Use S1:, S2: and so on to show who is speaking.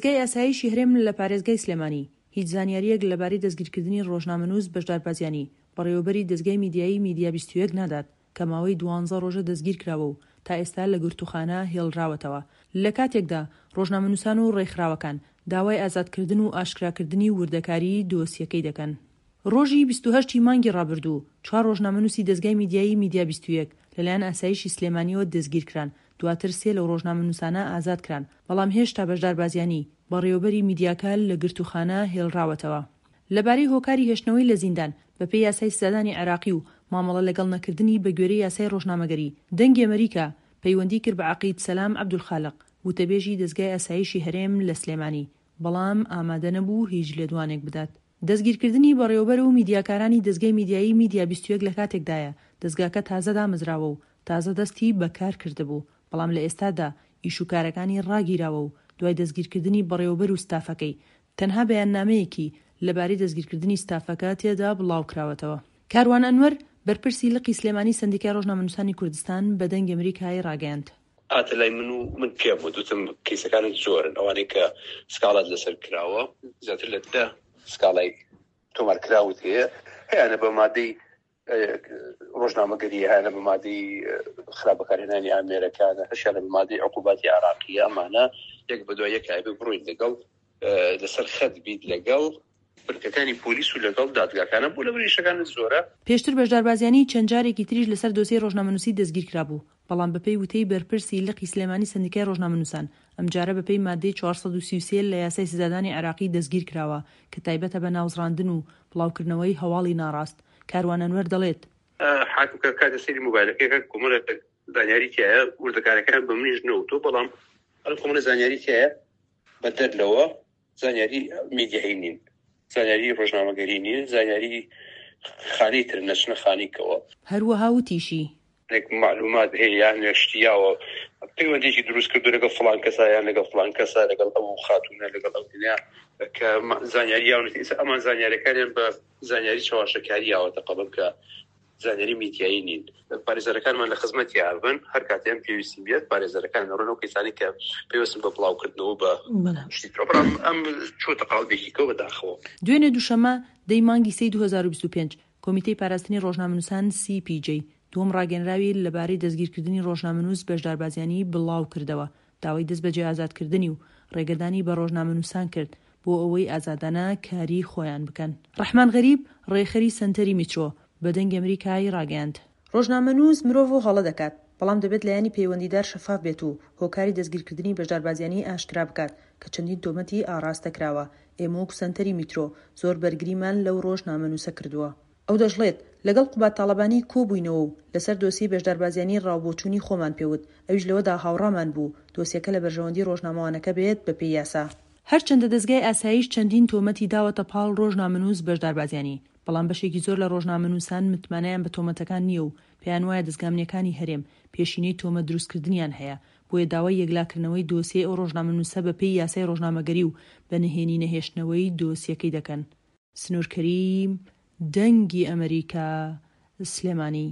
S1: دەزگای ئاسایشی هەرێم لە پارێزگای سلێمانی، هیچ زانیارییەک لەبارەی دەستگیرکردنی ڕۆژنامەنووس بەشدار بازیانی، بەڕێوەبەری دەزگای میدیایی میدیا 21 نادات، کە ماوەی دوانزە ڕۆژە دەستگیرکراوە و تا ئێستا لە گرتووخانە هێڵراوەتەوە، لە کاتێکدا ڕۆژنامەنووسان و ڕێکخراوەکان داوای ئازادکردن و ئاشکراکردنی وردەکاریی دۆسیەکەی دەکەن. ڕۆژی 28 ی مانگی ڕابردوو، چوار ڕۆژنامەنووسی دەزگای میدیایی میدیا 21 لەلایەن ئاسایشی سلێمانییەوە دەستگیرکران، دواتر سێ لەو ڕۆژنامەنووسانە ئازادکران، بەڵام هێشتا بەشدار بازیانی، بەڕێوەبەری میدیاکە لە گرتووخانە هێڵراوەتەوە. لەبارەی هۆکاری هێشتنەوەی لە زیندان، بەپێی یاسای سزادانی عێراقی و مامەڵە لەگەڵ نەکردنی بەگوێرەی یاسای ڕۆژنامەگەری، دەنگی ئەمەریکا پەیوەندی کرد بە عەقید سەلام عەبدولخالق، وتەبێژی دەزگای ئاسایشی هەرێم لە سلێمانی، بەڵام ئامادە نەبوو هیچ لێدوانێک بدات. دەستگیرکردنی بەڕێوەبەر و میدیاکارانی دەزگای میدیایی میدیا 21 لە کاتێکدایە، دەزگاکە تازە دامەزراوە و تازە دەستی بە کار کردبوو، بەڵام لە ئێستادا ئیش و کارەکانی ڕاگیراوە و دوای دەستگیرکردنی بەڕێوەبەر و ستافەکەی، تەنها بەیاننامەیەکی لەبارەی دەستگیرکردنی ستافەکە تێدا بڵاوکراوەتەوە. کاروان ئەنوەر، بەرپرسی لقی سلێمانی سەندیکای ڕۆژنامەنووسانی کوردستان بە دەنگی ئەمریکای ڕاگەیاند.
S2: هاتە لای من و من پێم وت، وتم کەیسەکانت زۆرن، ئەوانەی کە سکاڵات لەسەر کراوە زیاتر لە دە سکاڵای تۆمارکراوت هەیە، هەیانە بە مادەی ڕۆژنامەگەری، هەیانە بە مادەی خراپ بەکارهێنانی ئامێرەکان، هەشیانە بە مادەی عقوباتی عێراقیە، ئەمانە یەک بەدوای یەک ئەبێ بڕۆین لەگەڵ لەسەر خەت بیت لەگەڵ بنکەکانی پۆلیس و لەگەڵ دادگاکانە بۆ لەبەر ئیشەکانت زۆرە.
S1: پێشتر بەشدار بازیانی چەند جارێکی تریش لەسەر دۆسیەی ڕۆژنامەنووسی دەستگیرکرابوو، بەڵام بەپێی وتەی بەرپرسی لقی سلێمانی سەندیکای ڕۆژنامەنووسان، ئەمجارە بەپێی ماددەی 433 لە یاسای سزادانی عێراقی دەستگیرکراوە کە تایبەتە بە ناوزڕاندن و بڵاوکردنەوەی هەواڵی ناڕاست. کاروان ئەنوەر دەڵێت.
S2: حاکم کە کاتێ سەیری مۆبایلەکەی ئەکات کۆمەڵێک زانیاری تیایە، وردەکاریەکان بە منیش نەوتووە، بەڵام ئەم کۆمەڵە زانیاری تیایە بەدەر لەوە زانیاری میدیایی نین، زانیاری ڕۆژنامەگەری نین، زانیاری خانەی ترن نەچنە خانەی کەوە.
S1: هەروەها وتیشی.
S2: هەندێک مەعلومات هەیە یان شتی یاوە پەیوەندیەکی دروست کردو لەگەڵ فڵان کەسا یان لەگەڵ فڵان کەسا لەگەڵ ئەو خاتوونە لەگەڵ ئەو دنیا کە زانیاری یاونەتی ئێستا ئەمان زانیارەکانیان بە زانیاری چەواشەکاری یاوەتە قەڵەم کە زانیاری میدیایی نین. پارێزەرەکانمان لە خزمەتی ئابن هەر کاتێ ئەم پێویستی بێت پارێزەرەکان دەڕۆن ئەو کەسانەی کە پەیوەستن بە بڵاوکردنەوە بە شتی ترەوە بەڵام ئەم چۆتە قاڵبێکی کەوە بەداخەوە.
S1: دوێنێ دووشەممە دەی مانگی سێی 2025، کۆمیتەی پاراستنی ڕۆژنامەنووسان CPJ دووەم ڕاگەیەنراوی لەبارەی دەستگیرکردنی ڕۆژنامەنووس بەشدار بازیانی بڵاوکردەوە، داوای دەستبەجێ ئازادکردنی و ڕێگەدانی بە ڕۆژنامەنووسان کرد بۆ ئەوەی ئازادانە کاری خۆیان بکەن. ڕەحمان غەریب، ڕێکخەری سەنتەری میترۆ، بە دەنگی ئەمریکای ڕاگەیاند، ڕۆژنامەنووس مرۆڤ و هەڵە دەکات، بەڵام دەبێت لایەنی پەیوەندیدار شەفاف بێت و هۆکاری دەستگیرکردنی بەشدار بازیانی ئاشکرا بکات کە چەندین تۆمەتی ئاڕاستە کراوە، ئێمە وەکو سەنتەری میترۆ زۆر بەرگریمان لەو ڕۆژنامەنووسە کردووە. ئەو دەشڵێت، لەگەڵ قوباد تاڵەبانی کۆبووینەوە و لەسەر دۆسیەی بەشدار بازیانی ڕاوبۆچوونی خۆمان پێوت، ئەویش لەوەدا هاوڕامان بوو دۆسیەکە لە بەرژەوەندی ڕۆژنامەوانەکە بێت بەپێی یاسا. هەرچەندە دەزگای ئاسایش چەندین تۆمەتی داوەتە پاڵ ڕۆژنامەنووس بەشدار بازیانی، بەڵام بەشێکی زۆر لە ڕۆژنامەنووسان متمانەیان بە تۆمەتەکان نییە و پێیانوایە دەزگا ئەمنییەکانی هەرێم پێشینەی تۆمەت دروستکردنیان هەیە، بۆیە داوای یەکلاکردنەوەی دۆسیەی ئەو ڕۆژنامەنووسە بەپێی یاسای ڕۆژنامەگەری و بە نهێنی نەهێشتنەوەی دۆسیەکەی دەکەن. سنوور کەریم، دەنگی ئەمەریکا، سلێمانی.